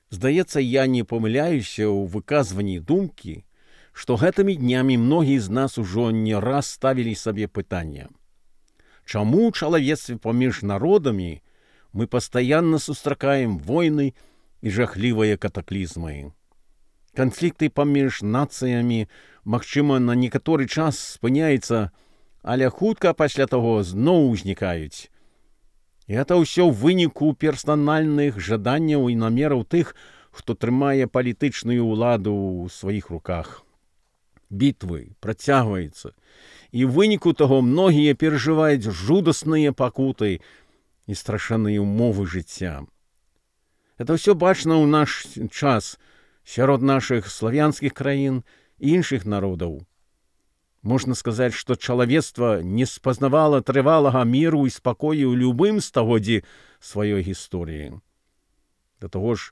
Здаецца, я не памыляюся ў выказванні думкі, што гэтымі днямі многія з нас ужо не раз ставілі сабе пытанне. Чаму ў чалавецтве паміж народамі мы пастаянна сустракаем войны і жахлівыя катаклізмы? Канфлікты паміж нацыямі, магчыма, на некаторы час спыняецца, але хутка пасля таго зноў узнікаюць. І гэта ўсё ў выніку персанальных жаданняў і намераў тых, хто трымае палітычную ўладу ў сваіх руках. Бітвы працягваюцца, і ў выніку таго многія перажываюць жудасныя пакуты і страшэнныя ўмовы жыцця. Гэта ўсё бачна ў наш час сярод нашых славянскіх краін і іншых народаў. Можна сказаць, што чалавецтва не спазнавала трывалага міру і спакою ў любым стагоддзі сваёй гісторыі. Да таго ж,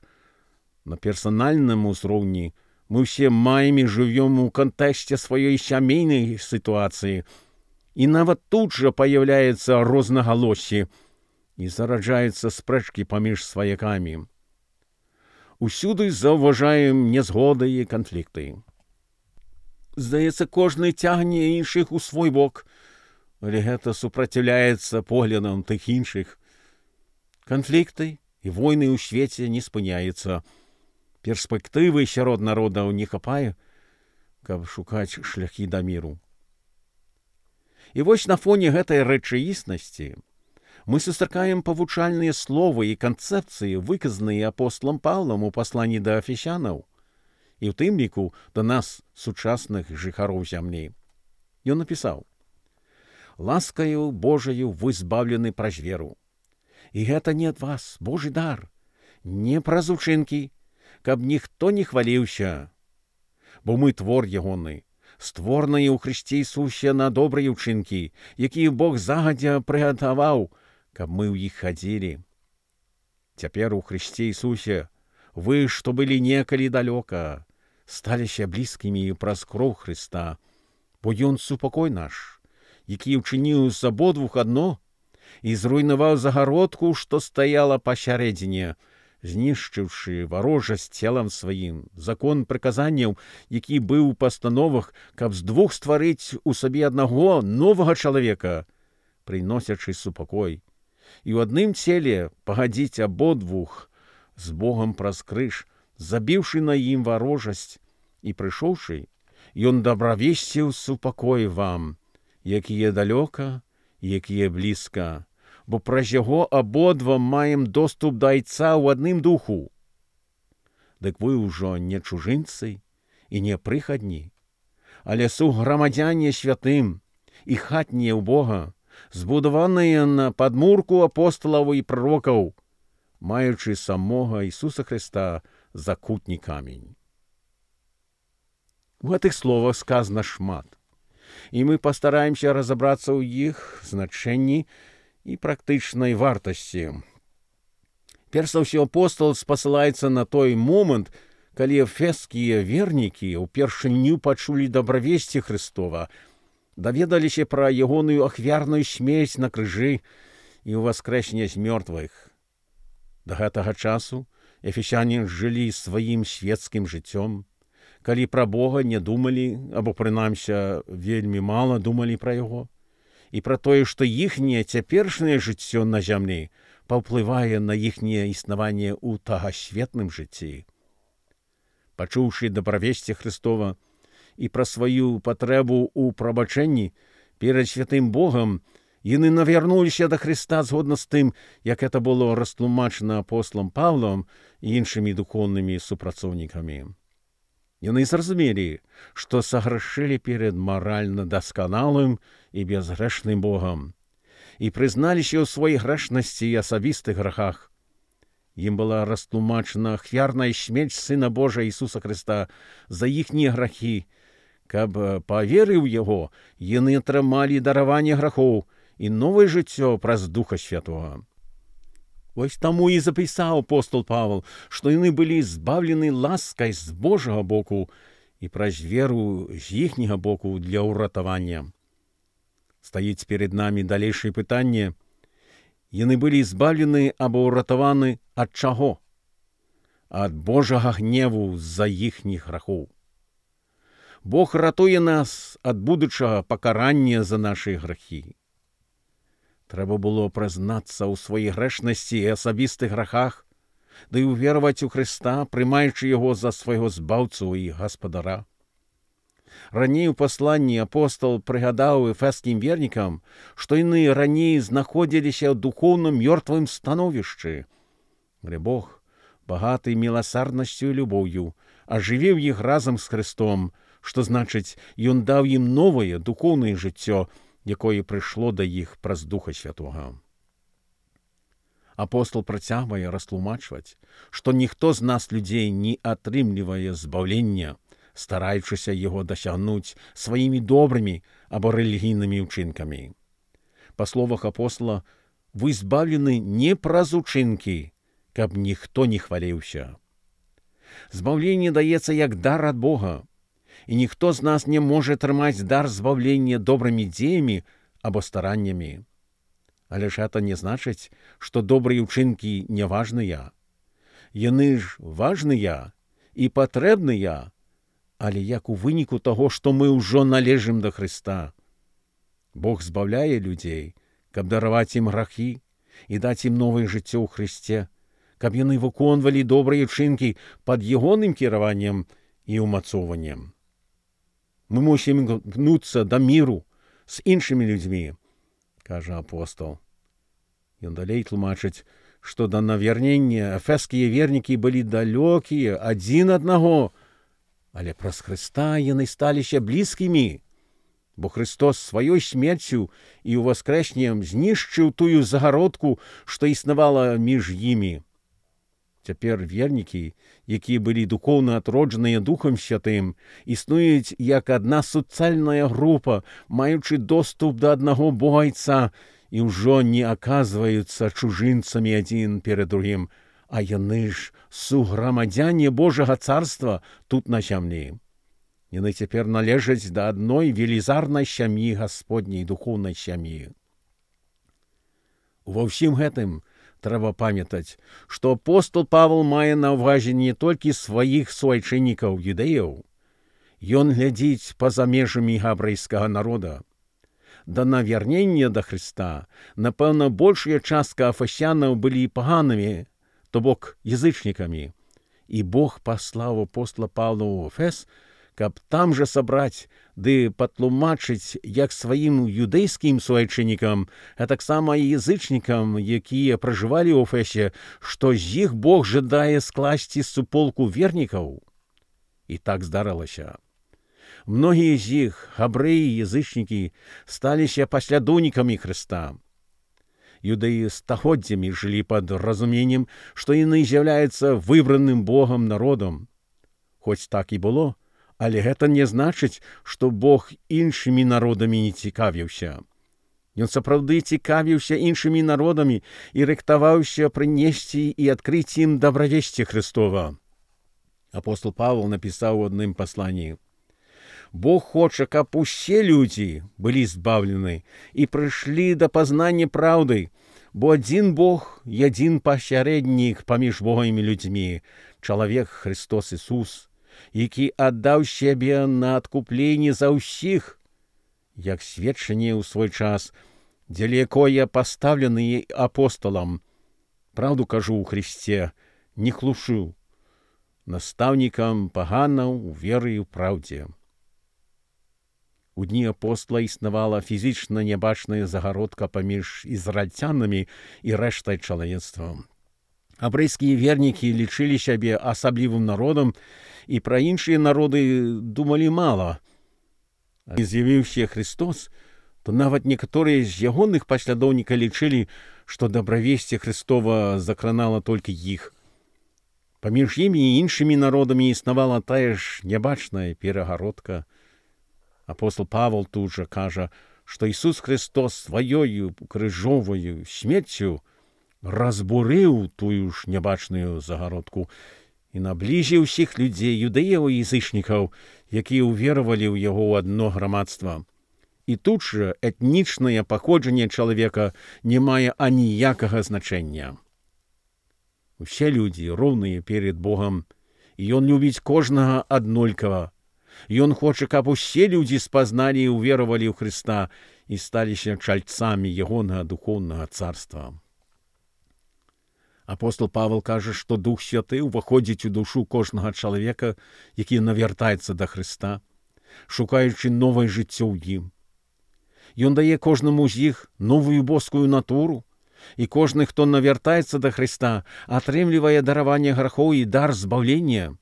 на персанальным узроўні мы ўсе маем і жывём у кантэксце сваёй сямейнай сітуацыі, і нават тут жа паяўляецца рознагалоссі і зараджаюцца спрэчкі паміж сваякамі. Усюды заўважаем нязгоды і канфлікты. Здаецца, кожны цягне іншых у свой бок, але гэта супраціўляецца поглядам тых іншых. Канфлікты і войны ў свеце не спыняюцца. Перспектывы сярод народаў не хапае, каб шукаць шляхі да міру. І вось на фоне гэтай рэчаіснасці мы сустракаем павучальныя словы і канцэпцыі, выказаныя апосталам Паўлам у пасланні да Эфесянаў, і ў тым ліку да нас, сучасных жыхароў зямлі. Ён напісаў: «Ласкаю Божаю вы збаўлены праз веру. І гэта не ад вас, Божы дар, не праз учынкі, каб ніхто не хваліўся. Бо мы твор ягоны, створаныя ў Хрысце Ісусе на добрыя ўчынкі, якія Бог загадзя прыгатаваў, каб мы ў іх хадзілі. Цяпер у Хрысце Ісусе вы, што былі некалі далёка, сталіся блізкімі праз кроў Хрыста, бо Ён супакой наш, які ўчыніў з абодвух адно і зруйнаваў загародку, што стаяла пасярэдзіне, знішчыўшы варожасць целам сваім, закон прыказанняў, які быў у пастановах, каб з двух стварыць у сабе аднаго новага чалавека, прыносячы супакой, і ў адным целе пагадзіць абодвух з Богам праз крыж, забіўшы на ім варожасць, і прыйшоўшы, ён дабравесціў супакой вам, якія далёка, якія блізка, бо праз яго абодва маем доступ да Айца ў адным духу. Дык вы ўжо не чужынцы і не прыхадні, але суграмадзяне святым і хатнія ў Бога, збудаваныя на падмурку апосталаў і пророкаў, маючы самога Ісуса Хрыста за кутні камень». У гэтых словах сказана шмат, і мы пастараемся разабрацца ў іх значэнні і практычнай вартасці. Перш за ўсё, апостал спасылаецца на той момант, калі эфескія вернікі ўпершыню пачулі дабравесці Хрыстова, даведаліся пра ягоную ахвярную смерць на крыжы і ўваскрэсенне з мёртвых. Да гэтага часу эфесяне жылі сваім свецкім жыццём, калі пра Бога не думалі, або, прынамсі, вельмі мала думалі пра яго, і пра тое, што іхняе цяперашняе жыццё на зямлі паўплывае на іхняе існаванне ў тагасветным жыцці. Пачуўшы дабравесці Хрыстова і пра сваю патрэбу ў прабачэнні перад святым Богам, яны навярнуліся да Хрыста згодна з тым, як гэта было растлумачана апосталам Паўлам і іншымі духоўнымі супрацоўнікамі. Яны зразумелі, што саграшылі перад маральна дасканалым і безгрэшным Богам, і прызналіся ў сваёй грэшнасці і асабістых грахах. Ім была растлумачана ахвярная смерць Сына Божа Ісуса Хрыста за іхнія грахі, каб, паверыў яго, яны атрымалі дараванне грахоў і новае жыццё праз Духа Святога. Вось таму і запісаў апостол Павел, што яны былі збаўлены ласкай з Божага боку і праз веру з іхняга боку для ўратавання. Стаіць перед намі далейшае пытанне: яны былі збаўлены або ўратаваны ад чаго? ад Божага гневу з-за іхніх грахоў. Бог ратуе нас ад будучага пакарання за нашы грахі. Трэба было прызнацца ў сваёй грэшнасці і асабістых грахах, ды і ўвераваць у Хрыста, прымаючы яго за свайго збаўцу і гаспадара. Раней у пасланні апостол прыгадаў эфескім вернікам, што яны раней знаходзіліся ў духоўна мёртвым становішчы. Але Бог, багаты міласарднасцю і любоўю, ажывіў іх разам з Хрыстом, што значыць, ён даў ім новае духоўнае жыццё, якое прыйшло да іх праз Духа Святога. Апостол працягвае растлумачваць, што ніхто з нас, людзей, не атрымлівае збаўлення, стараючыся яго дасягнуць сваімі добрымі або рэлігійнымі ўчынкамі. Па словах апостола, вы збаўлены не праз учынкі, каб ніхто не хваліўся. Збаўленне даецца як дар ад Бога, і ніхто з нас не можа атрымаць дар збаўлення добрымі дзеямі або стараннямі. Але ж гэта не значыць, што добрыя ўчынкі не важныя. Яны ж важныя і патрэбныя, але як у выніку таго, што мы ўжо належым да Хрыста. Бог збаўляе людзей, каб дараваць ім грахі і даць ім новае жыццё ў Хрысце, каб яны выконвалі добрыя ўчынкі пад ягоным кіраваннем і ўмацоўваннем. Мы мусім імкнуцца да міру з іншымі людзьмі, кажа апостол. Ён далей тлумачыць, што да навярнення эфескія вернікі былі далёкія адзін аднаго, але праз Хрыста яны сталіся блізкімі, бо Христос сваёй смерцю і ўваскрэсненнем знішчыў тую загародку, што існавала між імі. Цяпер вернікі, якія былі духоўна атроджаныя Духам Святым, існуюць як адна суцэльная група, маючы доступ да аднаго Богайца, і ўжо не аказваюцца чужынцамі адзін перад другім, а яны ж суграмадзяне Божага царства тут на зямлі. Яны цяпер належаць да адной велізарнай сям'і Гасподняй духоўнай сям'і. Ува ўсім гэтым трэба памятаць, што апостол Павел мае на ўвазе не толькі сваіх суайчыннікаў юдэяў. Ён глядзіць па-за межамі габрэйскага народа. Да навярнення да Хрыста, напэўна, большая частка афасянаў былі паганымі, то бок язычнікамі, і Бог паслаў апостола Павла ў Эфес, каб там жа сабраць ды патлумачыць як сваім юдэйскім суайчыннікам, а таксама і язычнікам, якія пражывалі ў Эфесе, што з іх Бог жадае скласці суполку вернікаў. І так здарылася. Многія з іх, габрэі і язычнікі, сталіся паслядоўнікамі Хрыста. Юдэі стагоддзямі жылі пад разуменнем, што яны з'яўляюцца выбраным Богам народам. Хоць так і было, але гэта не значыць, што Бог іншымі народамі не цікавіўся. Ён сапраўды цікавіўся іншымі народамі і рыхтаваўся прынесці і адкрыць ім добравесце Хрыстова. Апостол Павел напісаў у адным пасланні: «Бог хоча, каб усе людзі былі збаўлены і прыйшлі да пазнання праўды, бо адзін Бог і адзін пасярэднік паміж Богам і людзьмі, чалавек Христос Ісус, які аддаў сябе на адкупленне за ўсіх, як сведчанне ў свой час, дзеля якое пастаўлены апостолам. Праўду кажу ў Христе, не хлушу, настаўнікам паганаў у веры і ў праўдзе». У дні апостола існавала фізічна нябачная загародка паміж ізраільцянамі і рэштай чалавецтва. Габрэйскія вернікі лічылі сябе асаблівым народам і пра іншыя народы думалі мала. Калі з'явіўся Христос, то нават некаторыя з ягоных паслядоўнікаў лічылі, што добравесце Христова закранала толькі іх. Паміж імі і іншымі народамі існавала тая ж нябачная перагародка. Апостол Павел тут жа кажа, што Ісус Христос сваёю крыжоваю смерцю разбурыў тую ж нябачную загародку і набліжыў усіх людзей, юдэяў і язычнікаў, якія ўверавалі ў яго ў адно грамадства. І тут жа этнічнае паходжанне чалавека не мае аніякага значэння. Усе людзі роўныя перед Богам, і Ён любіць кожнага аднолькава. Ён хоча, каб усе людзі спазналі і ўверавалі ў Хрыста і сталіся чальцамі ягонага духоўнага царства. Апостол Павел кажа, што Дух Святы ўваходзіць у душу кожнага чалавека, які навяртаецца да Хрыста, шукаючы новае жыццё ў ім. Ён дае кожнаму з іх новую боскую натуру, і кожны, хто навяртаецца да Хрыста, атрымлівае дараванне грахоў і дар збаўлення.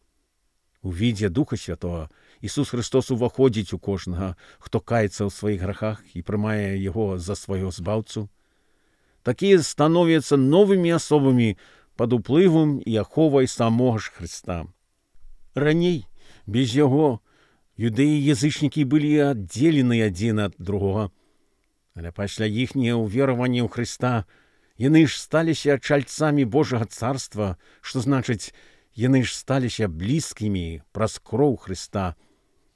У відзе Духа Святого Ісус Христос уваходзіць у кожнага, хто каецца ў сваіх грахах і прымае яго за свайго збаўцу. Такія становяцца новымі асобамі пад уплывам і аховай самога ж Хрыста. Раней, без яго, юдэі і язычнікі былі аддзелены адзін ад другога. Але пасля іхняга ўверавання ў Хрыста яны ж сталіся чальцамі Божага царства, што значыць, яны ж сталіся блізкімі праз кроў Хрыста.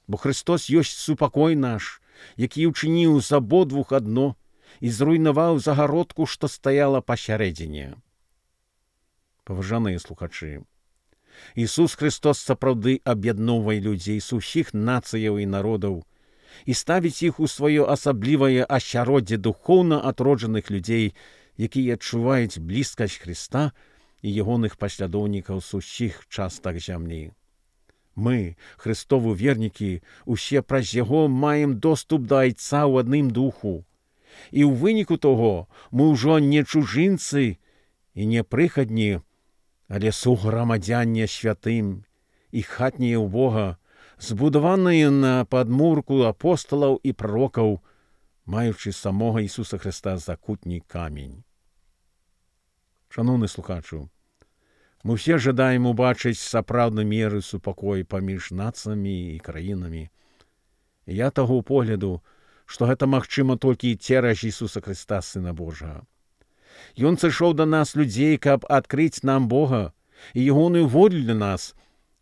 Бо Христос ёсць супакой наш, які ўчыніў з абодвух адно і зруйнаваў загародку, што стаяла пасярэдзіне. Паважаныя слухачы, Ісус Христос сапраўды аб'ядноўвае людзей з усіх нацыяў і народаў і ставіць іх у сваё асаблівае асяроддзе духоўна атроджаных людзей, якія адчуваюць блізкасць Христа і ягоных паслядоўнікаў з усіх частак зямлі. Мы, Христовы вернікі, усе праз яго маем доступ да Айца ў адным духу. І ў выніку того мы ўжо не чужынцы і не прыхадні, але суграмадзянне святым і хатнія ў Бога, збудаваныя на падмурку апосталаў і пророкаў, маючы самога Ісуса Христа за кутні камень. Шановны слухачу, мы ўсе жадаем убачыць сапраўдны мір і супакой паміж нацыямі і краінамі. Я таго погляду, што гэта магчыма толькі цераз Ісуса Христа, Сына Божага. Ён сышоў да нас, людзей, каб адкрыць нам Бога і ягоную волю для нас,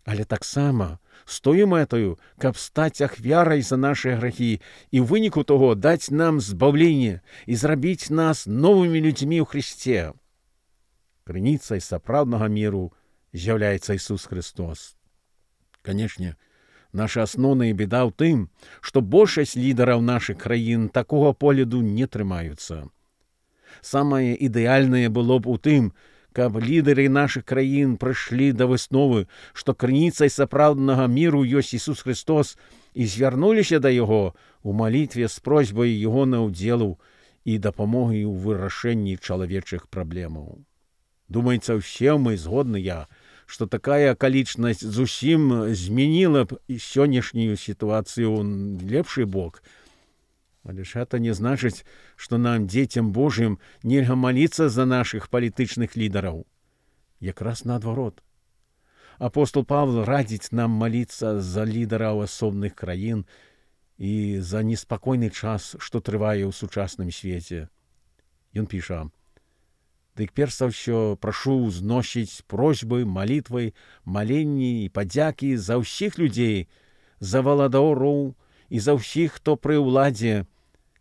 але таксама з тою мэтаю, каб стаць ахвярай за нашыя грахі і ў выніку таго даць нам збаўленне і зрабіць нас новымі людзьмі ў Христе. Крыніцай сапраўднага міру з'яўляецца Ісус Христос. Канечне, наша асноўная беда ў тым, што большасць лідараў нашых краін такога погляду не трымаюцца. Самае ідэальнае было б у тым, каб лідары нашых краін прыйшлі да высновы, што крыніцай сапраўднага міру ёсць Ісус Христос і звярнуліся да Яго ў малітве з просьбай Ягона ўдзелу і дапамогай у вырашэнні чалавечых праблемаў. Думаецца, усе мы згодныя, што такая акалічнасць зусім змяніла б сённяшнюю сітуацыю ў лепшы бок. Але ж гэта не значыць, што нам, дзецям Божым, нельга маліцца за нашых палітычных лідараў. Якраз наадварот. Апостол Павел радзіць нам маліцца за лідараў асобных краін і за неспакойны час, што трывае ў сучасным свеце. Ён піша: «Дык перш за ўсё прашу ўзносіць просьбы, малітвы, маленні і падзякі за ўсіх людзей, за валадароў і за ўсіх, хто пры ўладзе,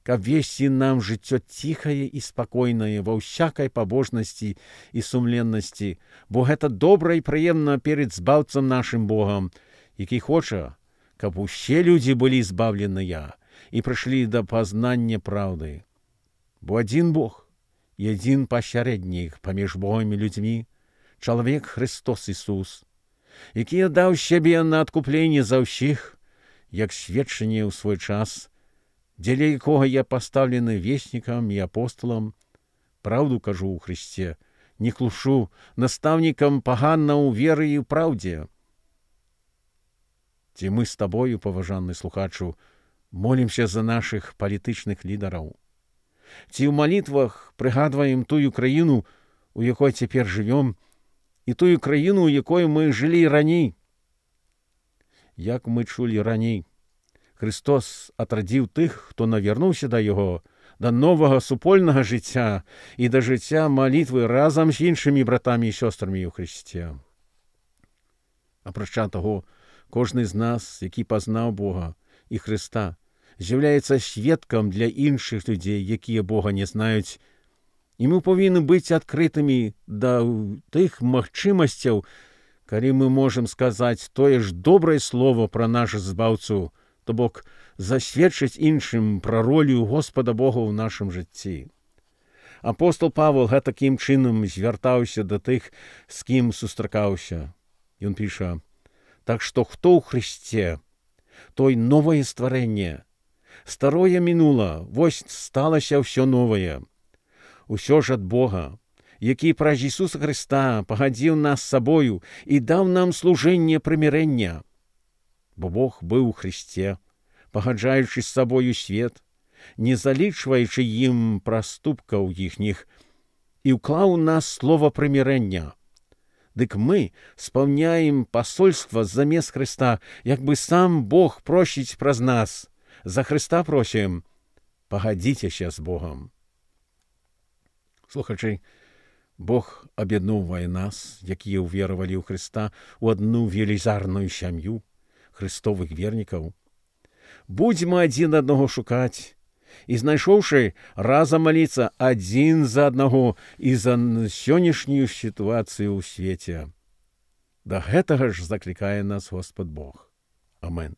каб весці нам жыццё ціхае і спакойнае ва ўсякай пабожнасці і сумленнасці, бо гэта добра і прыемна перед збаўцам нашым Богам, які хоча, каб усе людзі былі збаўленыя і прыйшлі да пазнання праўды. Бо адзін Бог і адзін пасярэднік паміж Богам і людзьмі, чалавек Христос Ісус, які аддаў сябе на адкупленне за ўсіх, як сведчанне ў свой час, дзеля якога я пастаўлены веснікам і апосталам, праўду кажу ў Христе, не клушу, настаўнікам паганна ў веры і ў праўдзе. Ці мы з табою, паважаны слухачу, молімся за нашых палітычных лідараў? Ці ў малітвах прыгадваем тую краіну, у якой цяпер жывём, і тую краіну, у якой мы жылі раней? Як мы чулі раней, Христос атрадзіў тых, хто навярнуўся да Яго, да новага супольнага жыцця і да жыцця малітвы разам з іншымі братамі і сёстрамі ў Христе. Апрача таго, кожны з нас, які пазнаў Бога і Христа, з'яўляецца сведкам для іншых людзей, якія Бога не знаюць, І мы павінны быць адкрытымі да тых магчымасцяў, калі мы можам сказаць тое ж добрае слово пра наш збаўцу, то бок засведчыць іншым пра ролю Господа Бога ў нашым жыцці. Апостол Павел такім чынам звяртаўся да тых, з кім сустракаўся. Ён піша: «Так што хто ў Христе, той новае стварэнне. Старое мінула, вось сталася ўсё новае. Усё ж ад Бога, які праз Ісуса Христа пагадзіў нас сабою і даў нам служэнне прымірэння. Бо Бог быў у Христе, пагаджаючы з сабою свет, не залічваючы ім праступкаў іхніх, і ўклаў у нас слова прымірэння. Дык мы спаўняем пасольства замест Христа, як бы сам Бог просіць праз нас. За Христа просім, пагадзіцеся з Богом». Слухачы, Бог аб'ядноўвае нас, якія ўверавалі ў Христа, у адну велізарную сям'ю христовых вернікаў. Будзьма адзін аднаго шукаць і, знайшоўшы, разам маліцца адзін за аднаго і за сённяшнюю сітуацыю ў свеце. Да гэтага ж заклікае нас Господ Бог. Амен.